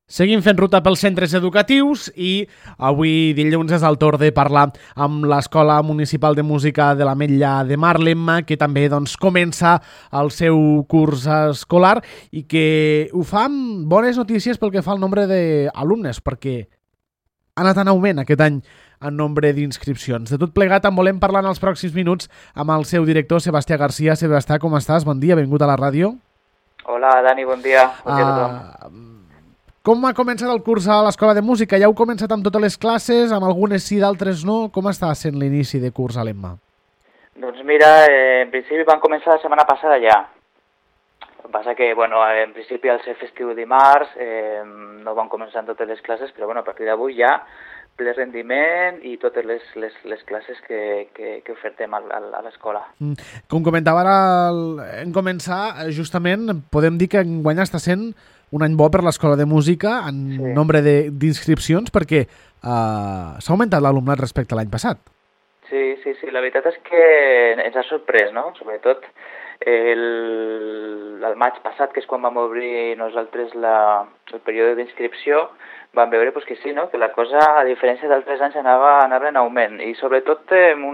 Seguim fent ruta pels centres educatius i avui dilluns és el torn de parlar amb l'Escola Municipal de Música de l'Ametlla de Mar, l'Emma, que també comença el seu curs escolar i que ho fa amb bones notícies pel que fa al nombre d'alumnes, perquè ha anat en augment aquest any en nombre d'inscripcions. De tot plegat en volem parlar en els pròxims minuts amb el seu director, Sebastià Garcia. Sebastià, com estàs? Bon dia, benvingut a la ràdio. Hola, Dani, bon dia. Bon dia a tothom. Com ha començat el curs a l'Escola de Música? Ja heu començat amb totes les classes, amb algunes sí, d'altres no? Com està sent l'inici de curs a l'Emma? Doncs mira, en principi van començar la setmana passada ja. El que passa que, bueno, en principi al ser festiu dimarts no van començar en totes les classes, però bueno, a partir d'avui ja ple rendiment i totes les classes que ofertem a l'escola. Com comentava ara en començar, justament podem dir que enguany està sent un any bo per l'Escola de Música en nombre d'inscripcions perquè s'ha augmentat l'alumnat respecte a l'any passat. Sí, la veritat és que ens ha sorprès, no? Sobretot el maig passat, que és quan vam obrir nosaltres el període d'inscripció, vam veure pues, que sí, no? Que la cosa, a diferència d'altres anys, anava en augment. I sobretot en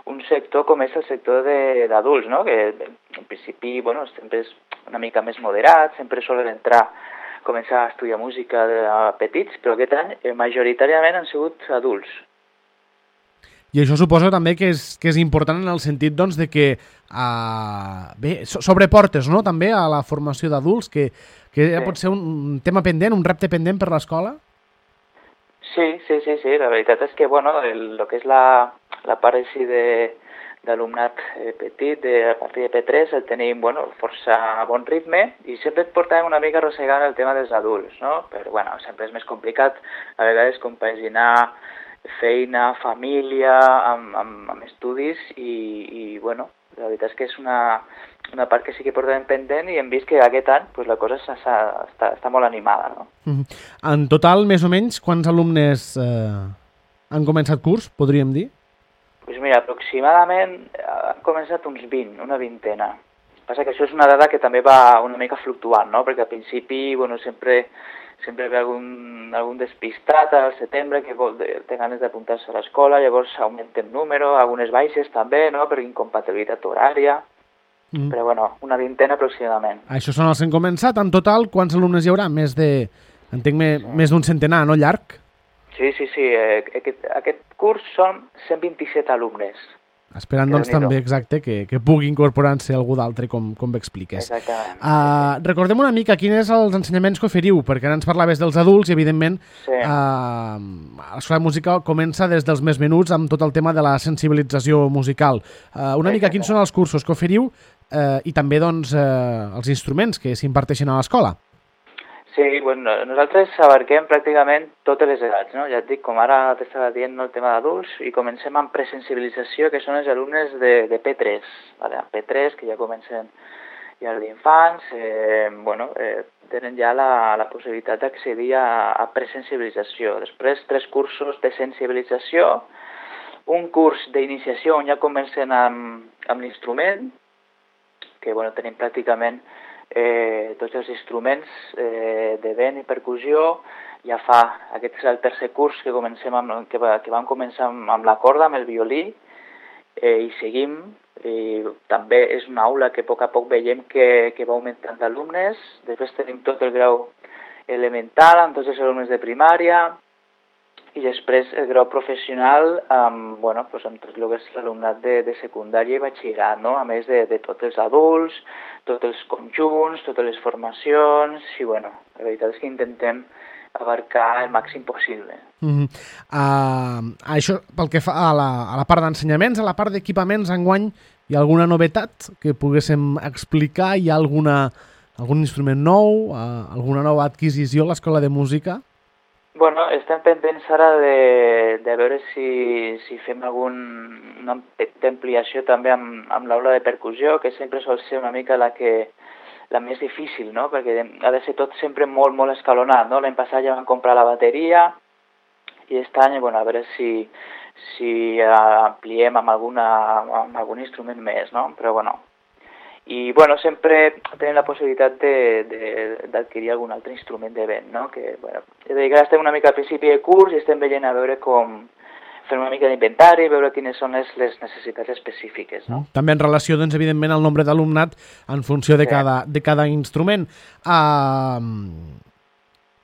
un sector com és el sector d'adults, no? Que en principi bueno, sempre és una mica més moderat, sempre solen començar a estudiar música a petits, però aquest any majoritàriament han sigut adults. I això suposo també que és important en el sentit doncs, de que s'obre portes, no? També a la formació d'adults, que pot ser un tema pendent, un repte pendent per l'escola? Sí, la veritat és que bueno, el que és la part així d'alumnat petit, a partir de P3, el tenim bueno, força bon ritme i sempre et portàvem una mica arrossegant el tema dels adults, no? Però bueno, sempre és més complicat a vegades compaginar feina, família, amb estudis i bueno, la veritat és que és una part que sí que portem pendent i hem vist que aquest any pues, la cosa està molt animada, no? En total, més o menys, quants alumnes han començat curs, podríem dir? Doncs mira, aproximadament han començat uns 20, una vintena. Passa que això és una dada que també va una mica fluctuant, no? Perquè al principi, bueno, sempre ve algun despistat al setembre que té ganes d'apuntar-se a l'escola, llavors augmenta el número, algunes baixes també, no? Per incompatibilitat horària, però bueno, una vintena aproximadament. Això són els que han començat. En total, quants alumnes hi haurà? Més d'un centenar, no? Llarg? Sí. Aquest curs són 127 alumnes. Esperant, doncs, també, exacte, que pugui incorporar-se algú d'altre, com bé expliques. Exactament. Recordem una mica quins són els ensenyaments que oferiu, perquè ara ens parlaves dels adults i, evidentment, l'Escola de Música comença des dels més menuts amb tot el tema de la sensibilització musical. Una mica quins són els cursos que oferiu i també, doncs, els instruments que s'imparteixen a l'escola. Sí, bueno, nosaltres abarquem pràcticament totes les edats, no? Ja et dic, com ara t'estava dient el tema d'adults, i comencem amb presensibilització, que són els alumnes de P3, vale? P3, que ja comencen ja d'infants, tenen ja la possibilitat d'accedir a presensibilització. Després, 3 cursos de sensibilització, un curs d'iniciació on ja comencen amb l'instrument, que bueno, tenim pràcticament tots els instruments de vent i percussió. Ja aquest és el tercer curs que vam començar amb la corda, amb el violí, i seguim. I també és una aula que a poc veiem que va augmentant d'alumnes. Després tenim tot el grau elemental amb tots els alumnes de primària i després el grau professional amb tot el que és l'alumnat de secundària i batxillerat, no? A més de tots els adults, tots els conjunts, totes les formacions i la veritat és que intentem abarcar el màxim possible. Això pel que fa a la part d'ensenyaments, a la part d'equipaments, enguany hi ha alguna novetat que poguéssim explicar? Hi ha algun instrument nou, alguna nova adquisició a l'Escola de Música? Bueno, estem pendents ara de veure si fem una petita ampliació també amb l'aula de percussió, que sempre sol ser una mica la més difícil, no? Perquè ha de ser tot sempre molt, molt escalonat, no? L'any passat ja vam comprar la bateria i aquest any, a veure si ampliem amb algun instrument més, no? Però I, bueno, sempre tenim la possibilitat d'adquirir algun altre instrument de vent, no? Que, bueno, és a dir, que ara estem una mica al principi de curs i estem veient a veure com fer una mica d'inventari, veure quines són les necessitats específiques, no? També en relació, doncs, evidentment, al nombre d'alumnat en funció de cada instrument.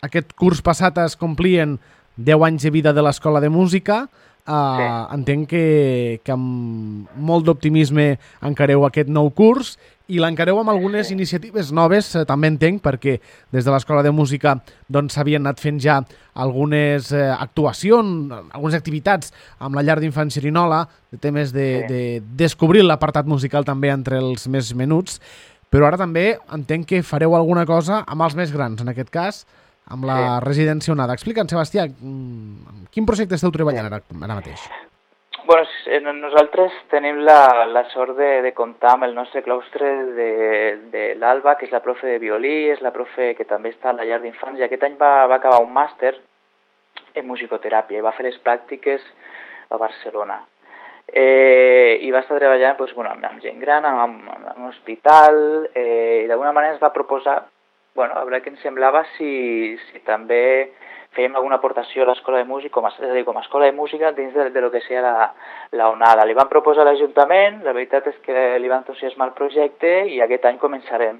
Aquest curs passat es complien 10 anys de vida de l'Escola de Música. Entenc que amb molt d'optimisme encareu aquest nou curs i l'encareu amb algunes iniciatives noves, també entenc, perquè des de l'Escola de Música doncs s'havien anat fent ja algunes actuacions, algunes activitats amb la llar d'infants Xerinola, de temes de descobrir l'apartat musical també entre els més menuts, però ara també entenc que fareu alguna cosa amb els més grans, en aquest cas, amb la residència Onada. Explica'ns, Sebastià, quin projecte esteu treballant ara mateix? Bueno, nosaltres tenim la sort de comptar amb el nostre claustre de l'Alba, que és la profe de violí, és la profe que també està a la llar d'infants, i aquest any va acabar un màster en musicoteràpia i va fer les pràctiques a Barcelona. I va estar treballant doncs, bueno, amb gent gran, en un hospital, i d'alguna manera ens va proposar, bueno, a veure què ens semblava si també fèiem alguna aportació a l'Escola de Música, com a escola de música dins de lo que sigui la Onada. Li van proposar a l'Ajuntament, la veritat és que li va entusiasmar el projecte i aquest any començarem.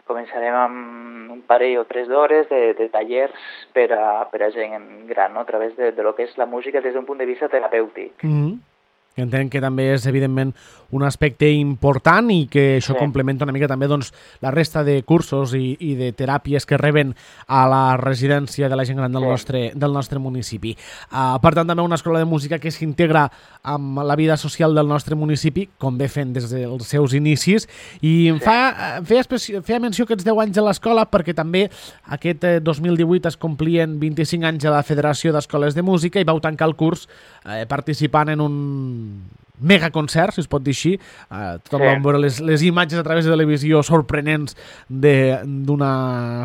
Començarem amb un parell o 3 d'hores de tallers per a gent gran, no? A través de lo que és la música des d'un punt de vista terapèutic. Entenc que també és, evidentment, un aspecte important i que això complementa una mica també doncs, la resta de cursos i de teràpies que reben a la residència de la gent gran del nostre municipi. Per tant, també una escola de música que s'integra amb la vida social del nostre municipi, com bé fent des dels seus inicis, i em feia menció aquests 10 anys a l'escola perquè també aquest 2018 es complien 25 anys a la Federació d'Escoles de Música i vau tancar el curs participant en un megaconcert, si es pot dir així. Tothom va veure les imatges a través de televisió sorprenents d'un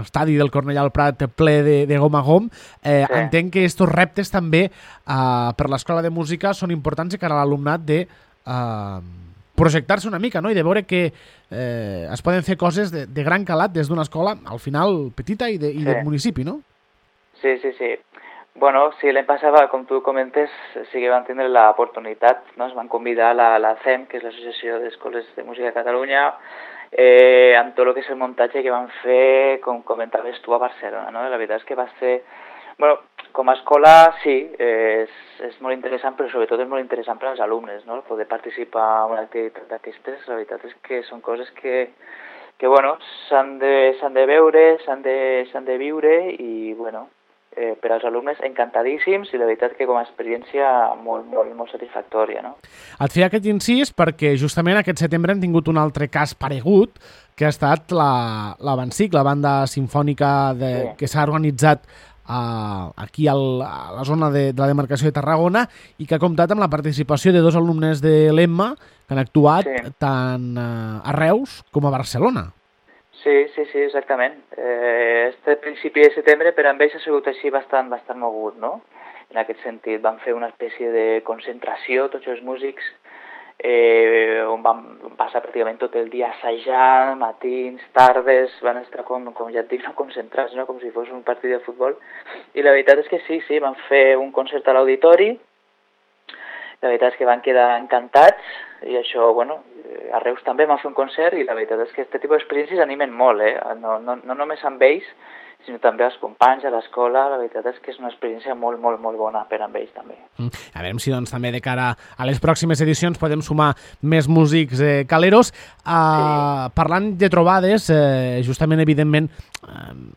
estadi del Cornellà al Prat ple de gom a gom. Entenc que aquests reptes també per l'Escola de Música són importants de cara a l'alumnat de projectar-se una mica, no? I de veure que es poden fer coses de gran calat des d'una escola, al final, petita i del municipi, no? Sí. Bueno, sí, l'any passat, com tu comentes, sí que van tindre l'oportunitat, no? Es van convidar a la CEM, que és l'Associació d'Escoles de Música de Catalunya, amb tot el que és el muntatge que van fer, com comentaves tu, a Barcelona, no? La veritat és que va ser... Bueno, com a escola, sí, és molt interessant, però sobretot és molt interessant per als alumnes, no? Poder participar en una activitat d'aquestes, la veritat és que són coses que bueno, s'han de veure, s'han de viure i, bueno, per als alumnes encantadíssims i la veritat que com a experiència molt satisfactòria, no? Et feia aquest incís perquè justament aquest setembre hem tingut un altre cas paregut que ha estat la Bansic, la banda simfònica que s'ha organitzat aquí a la zona de la demarcació de Tarragona i que ha comptat amb la participació de 2 alumnes de l'EMMA que han actuat tant a Reus com a Barcelona. Sí, exactament. Este principi de setembre per a ells ha sigut així bastant mogut, no? En aquest sentit, van fer una espècie de concentració, tots els músics, on van passar pràcticament tot el dia assajant, matins, tardes, van estar, com ja et dic, concentrats, no? Com si fos un partit de futbol. I la veritat és que sí, van fer un concert a l'auditori, la veritat és que van quedar encantats i això, bueno, a Reus també van fer un concert i la veritat és que aquest tipus d'experiències animen molt, no només amb ells, sinó també als companys, a l'escola, la veritat és que és una experiència molt bona per a ells també. A veure si doncs també de cara a les pròximes edicions podem sumar més músics caleros. Parlant de trobades, justament, evidentment,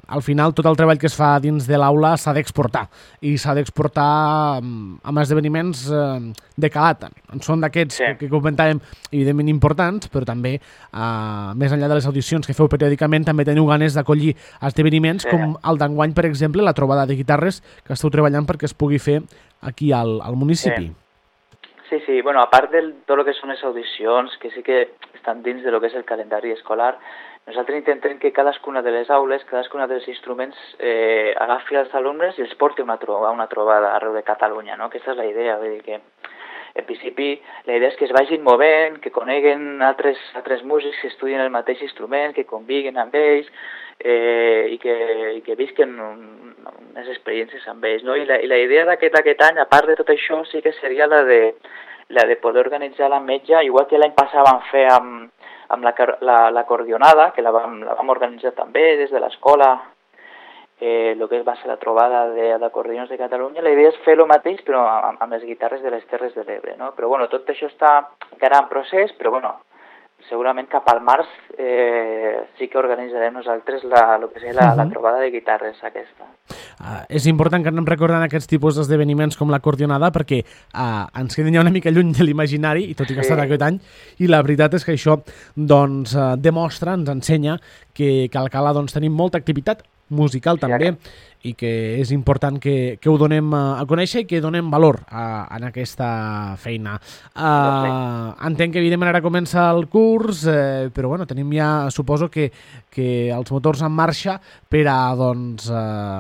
al final tot el treball que es fa dins de l'aula s'ha d'exportar i s'ha d'exportar amb esdeveniments de calat. Són d'aquests que comentàvem, evidentment importants, però també més enllà de les audicions que feu periòdicament també teniu ganes d'acollir esdeveniments com el d'enguany, per exemple, la trobada de guitarres que esteu treballant perquè es pugui fer aquí al municipi. Sí, bueno, a part de tot el que són les audicions, que sí que estan dins de lo que és el calendari escolar, nosaltres intentem que cadascuna de les aules, cadascuna dels instruments agafi els alumnes i els porti a una trobada arreu de Catalunya, no? Aquesta és la idea, vull dir que En principi, la idea és que es vagin movent, que coneguen altres músics que estudien el mateix instrument, que conviguin amb ells i que visquen unes experiències amb ells. No? I la idea d'aquest any, a part de tot això, sí que seria la de poder organitzar l'ametlla, igual que l'any passat vam fer amb l'acordionada, que la vam organitzar també des de l'escola, el que va ser la trobada d'acordions de Catalunya. La idea és fer el mateix, però amb les guitarres de les Terres de l'Ebre, no? Però bueno, tot això està encara en procés, però bueno, segurament cap al març sí que organitzarem nosaltres el que seria la trobada de guitarres aquesta. És important que anem recordant aquests tipus d'esdeveniments com l'acordionada perquè ens queden ja una mica lluny de l'imaginari, i tot i que ha estat aquest any, i la veritat és que això doncs, demostra, ens ensenya que a Alcalà doncs, tenim molta activitat musical també, i que és important que ho donem a conèixer i que donem valor en aquesta feina. Entenc que evidentment ara comença el curs, però bueno, tenim ja, suposo que els motors en marxa per a doncs,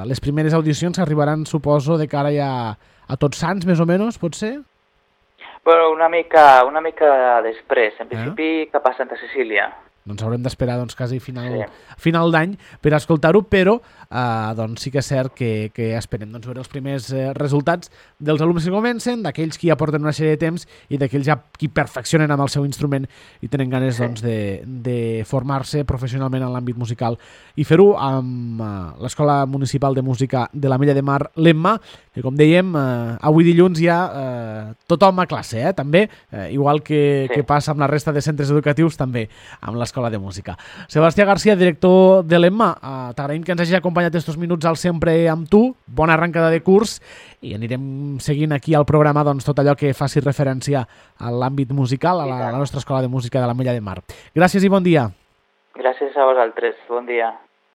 les primeres audicions que arribaran, suposo, de cara ja a Tots Sants, més o menys, pot ser? Bueno, una mica després, en principi cap a Santa Cecília. Doncs haurem d'esperar quasi final d'any per escoltar-ho, però doncs sí que és cert que esperem veure els primers resultats dels alumnes que comencen, d'aquells que ja porten una sèrie de temps i d'aquells ja qui perfeccionen amb el seu instrument i tenen ganes de formar-se professionalment en l'àmbit musical i fer-ho amb l'Escola Municipal de Música de l'Ametlla de Mar, l'EMMA, que com dèiem, avui dilluns hi ha tothom a classe, també, igual que passa amb la resta de centres educatius, també amb l'Escola de Música. Sebastià García, director de l'EMMA, t'agraïm que ens hagi acompanyat estos minuts al Sempre amb tu, bona arrencada de curs, i anirem seguint aquí al programa tot allò que faci referència a l'àmbit musical, a la nostra Escola de Música de l'Ametlla de Mar. Gràcies i bon dia. Gràcies a vosaltres, bon dia.